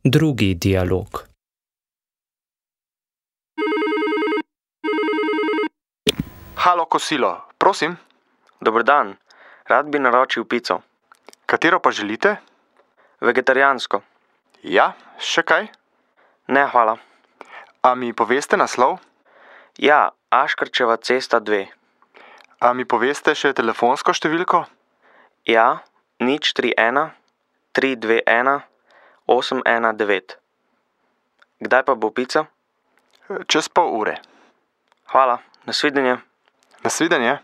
Drugi dialog. Halo, kosilo, prosim. Dober dan, rad bi naročil pico. Katero pa želite? Vegetarijansko. Ja, še kaj? Ne, hvala. A mi poveste naslov? Ja, Aškerčeva cesta 2. A mi poveste še telefonsko številko? Ja, 031 321 819. Kdaj pa bo pica? Čez pol ure. Hvala, nasvidenje. Nasvidenje.